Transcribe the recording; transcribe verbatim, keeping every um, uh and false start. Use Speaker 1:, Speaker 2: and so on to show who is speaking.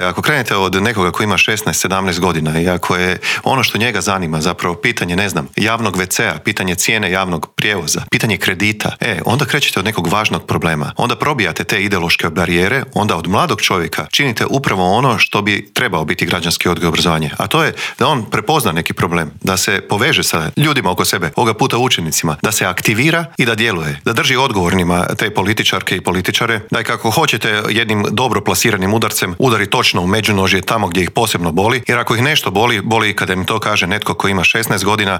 Speaker 1: Ako krenete od nekoga koji ima šesnaest sedamnaest godina i ako je ono što njega zanima zapravo pitanje, ne znam, javnog ve ce a, pitanje cijene javnog prijevoza, pitanje kredita, e, onda krećete od nekog važnog problema. Onda probijate te ideološke barijere, onda od mladog čovjeka činite upravo ono što bi trebao biti građanski odgoj i obrazovanje. A to je da on prepozna neki problem, da se poveže sa ljudima oko sebe, ovoga puta učenicima, da se aktivira i da djeluje, da drži odgovornima te političarke i političare, da i kako hoćete jednim dobro plasiranim udarcem udari točno u međunožje tamo gdje ih posebno boli, jer ako ih nešto boli, boli kada im to kaže netko koji ima šesnaest godina,